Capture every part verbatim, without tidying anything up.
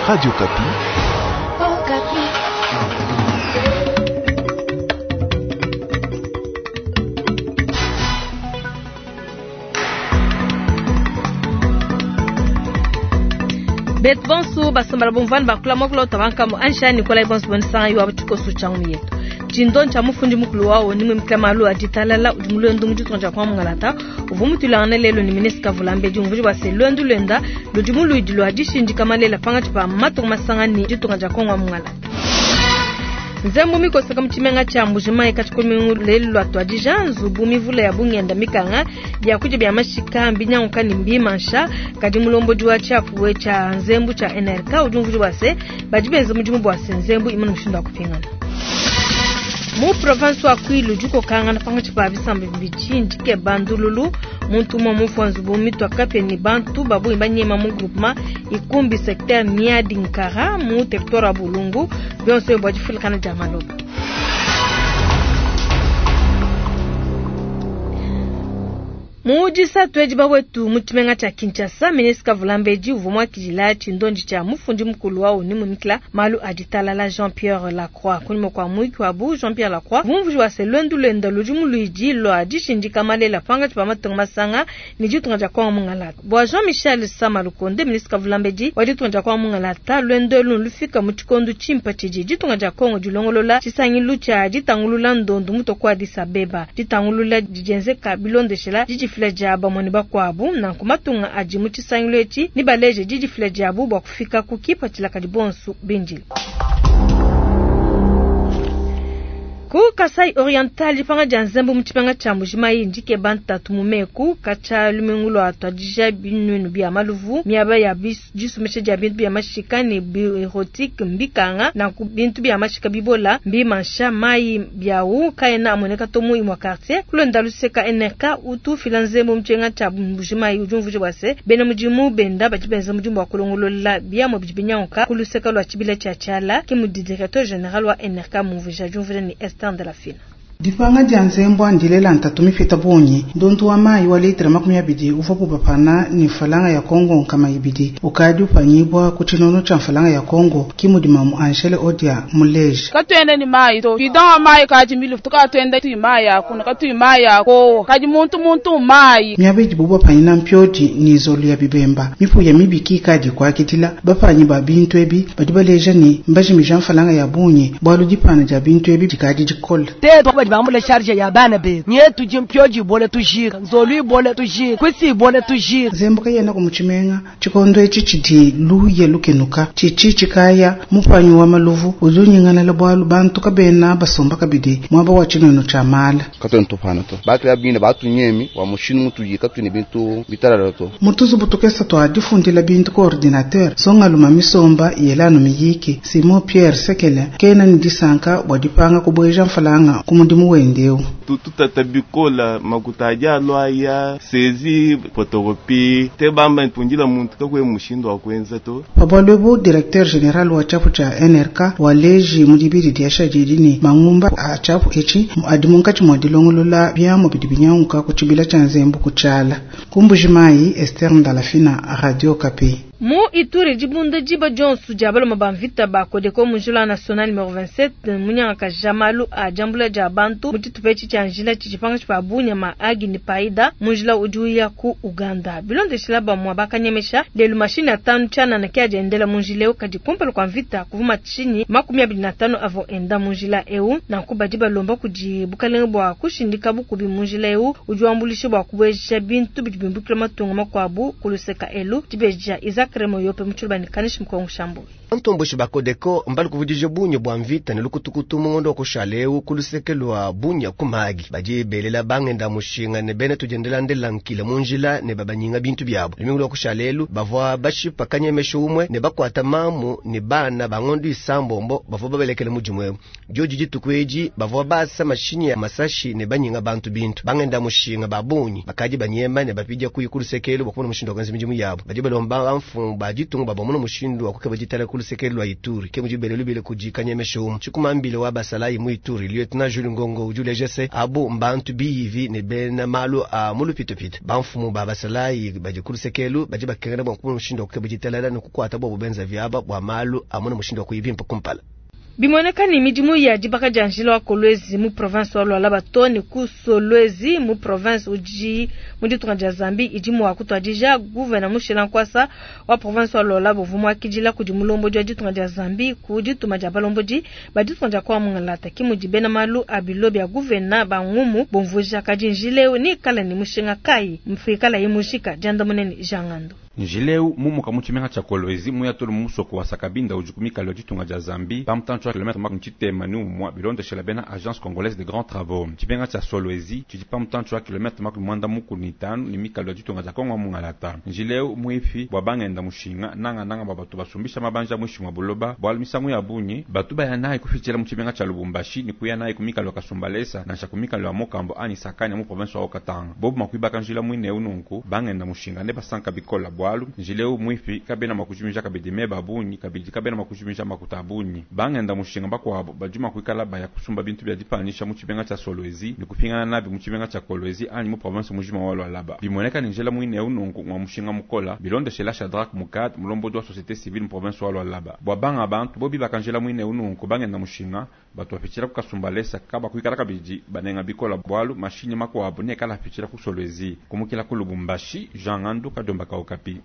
Radio Okapi. Oh, Betu bonso basambala bomvani bakula mokolo tabankamu ansha Nikolai bonso bonisanga yo abatikoso changu yetu chindo ncha mufundi mukulu wawo nimwe miklamalu aditalala udi mulwendu muditunga dia kwa mungalata uvu mutulangana lelo ni ministre Kavulambedi umvuji bua se lwendu lwenda ludi muluidi lua dishindika malela pangatshi pa matunga masanga ni ditunga dia kongo mungalata nzembu mikoseka mutshimenga tshia Mbujimayi katshikomingu lelu lua tuadija nzubu mivula ya bungenda mikanga biakudia bia mashika mbinyanguka ne mbimansha kadi mulombodi wa tshiapuwe tshia nzembu tshia N R K udi umvuji bua se badi benza mudimu bua se nzembu imana mushindu wa kupingana. Mu province wa Kwilu dikokangana pangatshi pa bisamba bibidi ndike bandululu muntu umwe mufu nzubu mitwa kapia ni bantu babu banyema mu groupement ikumbi secteur Miadi Nkara mu territoire ya Bulungu bionso bwa difulikana dia maloba. Mu disatu edi bawetu mu tshimenga tshia Kinshasa, ministre Kavulambedi uvua muakidila tshindondi tshia mufundi mukulu wa ONU mumikila malu a ditalala Jean-Pierre Lacroix. Kunyima kua muyiki wabu Jean-Pierre Lacroix mumvuji wa se lwendu lwenda ludi muluidi lua dishindika malela pangatshi pa matunga masanga ne ditunga dia Kongo mungalata. Bua Jean-Michel Sama Lukonde, ministre Kavulambedi wa ditunga dia Kongo mungalata, lwendo elu lufika mu tshikondo tshimpa tshidi ditunga dia Kongo dilongolola tshisangilu tshia ditangulula ndondu mutoku wa Addis Abeba. Ditangulula didienzeka bilondeshela didifila dia bamone bakwabu nanku matunga adi mu tshisangilu etshi ni baleje didifila diabu bua kufika ku kipatshila kadi bonso bindile. Ku Kasai Oriental dipanga dia nzembu mu tshipanga tshia Mbujimayi ndike bantatu mu meku katshia lumingu lua tuadija binunu bia maluvu miaba ya disumesha dia bintu bia mashika ne bioerotique mbikanga nanku bintu bia mashika bibola mbimansha mayi biawu kaena amoneka to mu imwa quartier kulonda luseka N R K utu fila nzembu mu tshienga tshia Mbujimayi udi umvuija bua se bena mudimu benda badi benza mudimu wa kulongolola biamua bidi binyanguka ku luseka lua tshibila tshia Tshiala ke mudi directeur général wa N R K mumvuija diumvuija ni Esther de la Fina. Dipanga dia nzembu andilela ntatu mipita bungi ndondu wa mayi wa litra makumi abidi uvua kupapana ni mfalanga ya Kongo nkama ibidi ukadi upanyibwa ku tshinono tshia mfalanga ya Kongo kimudi mamu Angele Odia muleje katwende ni mayi to bidon wa mayi kaji milu tukatwende tu mayi akuna katu mayi ako kaji muntu muntu mayi miabidi bubwa panyina mpyodi ni zolu ya bibemba mipuya mibiki kadi kwakitila bapanyi ba bintu ebi badi baleja ni mbajimija mfalanga ya bungi bwalu dipana dia bintu ebi dikadi dikola te bambula charge ya bana be nyetu jimpyoji bole tujira nzolu bole tujira kwisi bole tujira zembuka yena kumuchimenga chikondo echi chidi luye lukenuka chichi chikaya mupanyi wa maluvu uzunyingana le bwalu bantu kabena basomba kabidi mwaba wa chinono cha mala katwe ntopana to batu ya bine batu nyemi wa mushinu mutu yikatu ne bintu bitarara to mutuzu butukesa twa difundila bintu coordinateur songa luma misomba yelano miyiki Simon Pierre Sekele kena ni disanka bwadipanga kubweja mfalanga kumudimu wendeu tututabikola makuta lwaya sezi photocopie te bamba mpungila muntu kakwe mushindo wa kwenza to pabwalwebu directeur general wa chapu cha N R K waleji mudibiri diasha jidini mangumba a chapu echi adi munkatshi mwa dilongolola biamo bidi binyanguka ku tshibila tshia nzembu kutshala kumbujimayi Esther Ndalafina Radio Okapi. Mu Ituri dibunda diba Johnson dia baloma ba mvita ba Kodeko mu njila national numéro vingt-sept munyanga jamalu a jambula dia bantu mu tshitupa etshi tshia njila tshidi pa bunya ma agi ni paida mu njila udi uya ku Uganda bilondeshila bamwa bakanyemesha lelu mashini atanu tshianana ke adi endela mu njila eu kadi kumpala kua mvita kuvuma tshinyi makumi abidi na tanu avo enda mu njila eu nanku badi balomba kudi bukalenge bua kushindika bukubi mu njila eu udi wambulisha bua kubueja bintu bidi bimbukila matunga makuabu kuluseka elu dibeja Isaac Remo yope mutshulu ni kanishi mkongo shambu Ntomboshi bakodeko mbali kuvudije bunye bwa mvita ne lukutukutu mungondo kushaleu kulusekelwa bunya kumagi baje belela bangenda mushinga ne bene tujendela ndela nkila munjila ne babanyinga bintu byabo limingu kushalelu bavwa bashipa kanyemesho umwe ne bakwata mamu ne bana bangondo isambombo bavwa babelekele mujimwe joji jitukweji bavwa basa mashini ya masashi ne banyinga bantu bintu bangenda mushinga babunyi bakaji banyema ne bapija kuyikulusekelu bakubona mushindo kanzi mijimu yabo baje balomba bamfu bajitunga babomona mushindo akukeba jitala kuluseke lwa Ituri. Ke mudi bele lubile kudi kanyemesha umu. Tshikumambile wa basalayi mu Ituri, Lieutenant Jules Ngongo udi uleja se abu mbantu biyivi ne bena malu a mu lupitupita. Bamfumu ba basalayi badi kulusekelu badi bakengela bua kumona mushindu wa kukeba ditalala ne kukuata bobu benza viaba bua malu amona mushindu wa kuyibimpa kumpala. Bimoneka ni midimu ya dibaka dia njila wa Kolwezi mu province wa Lualaba to ne ku Solwezi mu province udi mu ditunga dia Zambie idi mua kutuadija gouverneur Mushila Nkwasa wa province wa Lualaba uvua muakidila kudi mulombodi wa ditunga dia Zambie ku dituma dia balombodi ba ditunga dia kwa Mungalata ki mudi bena malu a bilo bia gouverneur ba ngumu bomvuja kadi njila eu ni kala ni mushinga kai mfikala yimushika diandamune ni Jangando. Njileu mumuka mu tshimenga tshia Kolwezi muya tolo mu musoko wa Sakabinda udi ku mikalo ya ditunga dia Zambie pamutantshi wa kilomètre makumi tshitema ni umua bilondeshela bena agence congolaise de grands travaux. Tshimenga tshia Solwezi tshidi pamutantshi wa kilomètre makumi mwanda mukulu ni tanu ni mikalo ya ditunga dia Kongo Mungalata. Njileu muifi bua bangenda mushinga nanga nanga bua batu basumbisha mabanja muishi mwa buloba bua misangu ya bunyi batu baya nayi kufitshila mu tshimenga tshia Lubumbashi ni kuya nayi ku mikalo ya Kasumbalesa nansha ku mikalo ya Mokambo ani Sakani mu province wa Haut-Katanga. Bobu makuibaka njila mwine ununku bangenda mushinga ne basanka bikola bua njileu mwifi kabena makujumisha kabidi meba bunyi kabidi kabena makujumisha makuta bunyi bangenda mushinga bakwabo bajuma kuikala baya kusumba bintu bya dipanisha mu tshimenga tshia Solwezi ni kupingana nabi mu tshimenga tshia Kolwezi anyi mu province mujima wa Lualaba. Bimoneka ni njela mwine ununku mwa mushinga mukola bilondeshela Shadrach Mukad mulombodi wa société civile mu province wa Lualaba. Bwa banga bantu bobi bakanjela mwine ununku bangenda mushinga batu bapitshila ku Kasumbalesa kaba kuikala kabidi banenga bikola bwalu mashinyi makwabo ne kala pitshila ku Solwezi kumukila ku Lubumbashi Jean Ngandu Kadomba ka Okapi.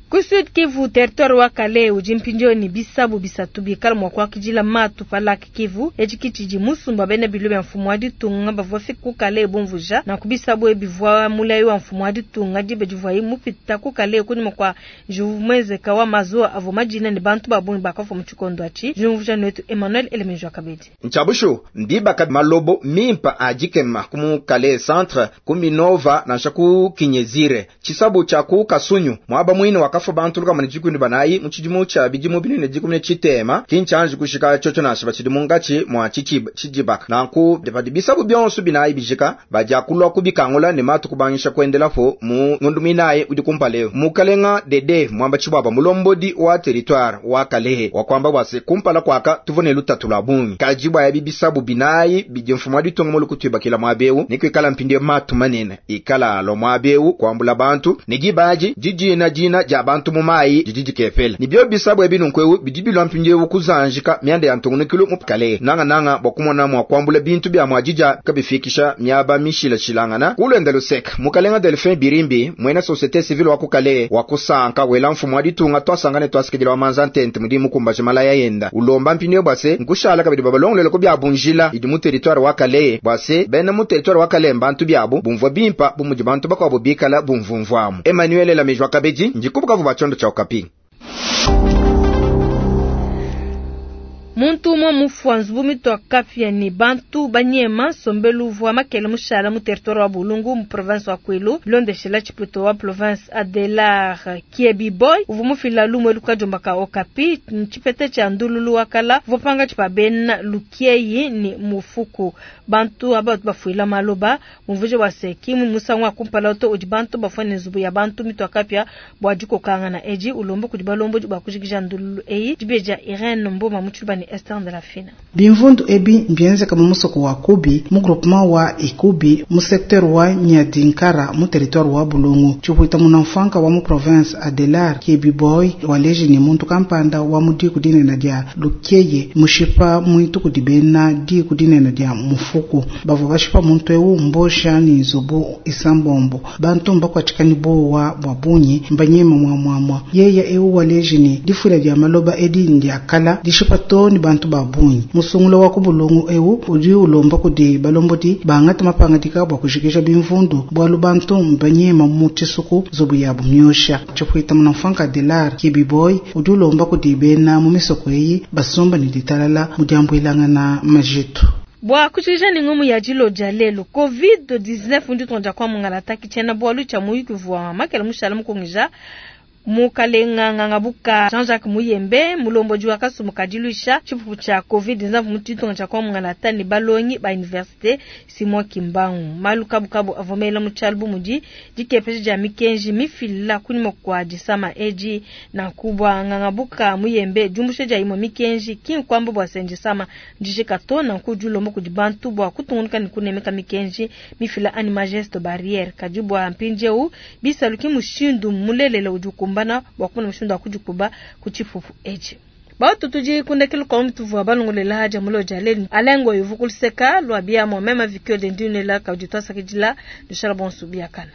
Ku Sud Kivu territoire wa Kale udi mpindieu bisabu bisatu bikala mua kuakidila matu pa Lac Kivu etshi tshidi musumba bena bilo bia mfumu wa ditunga bavua fika ku Kale bumvuja na kubisabu ebivua mulayi wa mfumu wa ditunga dibe divuayi mupita ku Kale kunyima kua juvumwezeka wa mazuwa avua madina ne bantu babungi bakafua mu tshikondo atshi. Jumvuja netu Emmanuel Elemenjo Kabedi. Nchabushu ndibaka malobo mimpa ajikema kumu Kale centre kuminova nansha ku Kinyezire chisabu cha ku Kasunyu mwaba mwine waka kafa bantu luka manijikundi banayi muchidimu cha bidimu binene dikumne chitema kinchanji kushika chocho na shiba chidimu ngachi mwa chichi chijibaka nanku depadi bisabu byonso binayi bijika baja kulwa kubikangula ne matu kubangisha kuendelapo mu ngundu minayi udi kumpale mukalenga dede mwamba chibaba mulombodi wa territoire wa Kalehe wa kwamba bwase kumpala kwaka tuvone lutatu lwa bungi kajibwa ya bibisabu binayi bijimfuma ditongo mulukutu bakila mwabeu nikwikala mpinde matu manene ikala lo mwabeu kwambula bantu nijibaji jijina jina ja bantu mumayi jijiji kefela nibyo bisabu ebinu nkwewu bijibilwa mpinjewu kuzanjika myanda ya ntungunukilu mupkale nanga nanga bwakumona mwa kwambula bintu bya mwajija kabifikisha myaba mishila shilangana kulwenda luseka mukalenga Delphin Birimbi mwena société civile wakukale wakusanka wela mfumu wa ditunga twasangane twasikidila wa manza ntente mudi mukumbaje malaya yenda ulomba mpinyo bwase nkushala kabidi babalongolele ko bya bunjila idi mu territoire wakale bwase bena mu territoire wakale mbantu byabo bumvwa bimpa bumudi bantu bakwabo bikala bumvumvwamu Emmanuel Lamejwa Kabedi ndikubuka vuba chondo cha Okapi. Muntu umwe mufwa nzubu mitwa kapya ni bantu banyema sombelu vwa makele mushala mu territoire wa Bulungu mu province wa Kwilu londeshela chiputo wa province Adelar Kiebi Boy uvu mufila lumwe lukajomba ka Okapi nchipete cha ndululu wakala vopanga chipa bena lukieyi ni mufuku bantu abatu bafuila maloba muvuje wa seki mu musangu kumpala oto udi bantu bafane nzubu ya bantu mitwa kapya bwa jikokanga na eji ulombo kudi balombo bwa kujikija ndululu eyi dibeja Irene Mboma muchuba ni Esther de la Fina. Bimvundu ebi mbienzeka mu musoko wa Kubi mu groupement wa Ikubi mu secteur wa Nyadinkara mu territoire wa Bulungu chihuita munamfanka wa mu province Adelar Kiebi Boy waleji ni muntu kampanda wa mudiku dinene dia Lukeye mushipa mwitu kudibena diku dinene dia mufuku bavo bashipa muntu ewu mbosha ni nzubu isambombo bantu mbakwachikani bowa bwa bunyi mbanyema mwa mwamwa yeye ewu waleji ni difula dia maloba edi ndia kala dishipa to ni bantu babunyi musungulo wa kubulungu ewu udi ulomba kudi balombodi bangata mapangadika bwa kushikisha bimvundu bwalu bantu mbanyema mu tshisuku zubu yabu myosha chipuita munamfanka Adelar Kiebi Boy udi ulomba kudi bena mu misoko eyi basomba ni ditalala mudiambuilanga na majitu. Bwa kuchikisha ni ngumu ya jilo jalelo covid dix-neuf ndi tonja kwa mungalata kichena bwalu cha muyuki vwa makele mushala mukongija Mukalenga Ngangabuka Jean-Jacques Muyembe mulombodi wa kasumbu ka diluisha tshipupu tshia Covid nzamvu mu ditunga tshia Kongo Mungalata ne balongi ba université Simon Kimbangu. Malu kabukabu avua mela mu tshialu bu mudi dikepesha dia mikenji mifila kunyima kua disama edi nanku bua Ngangabuka Muyembe diumbusha dia imue mikenji ki nkuamba bua se ndisama ndijika to nanku dilomba kudi bantu bua kutungunuka ne kunemeka mikenji mifila anyi mageste barriere kadi bua mpindieu bisalu ki mushindu mulelela udi ukumbana bua kumona mushindu wa kudikuba ku tshipupu etshi. Bautu tudi kundekelu kwa mutuvua balongolela haja mulo dia lelu alengo yuvu kuluseka lwa bia mwa mema vikyo de ndunela kaudi twasakidila dushala bonso biakana.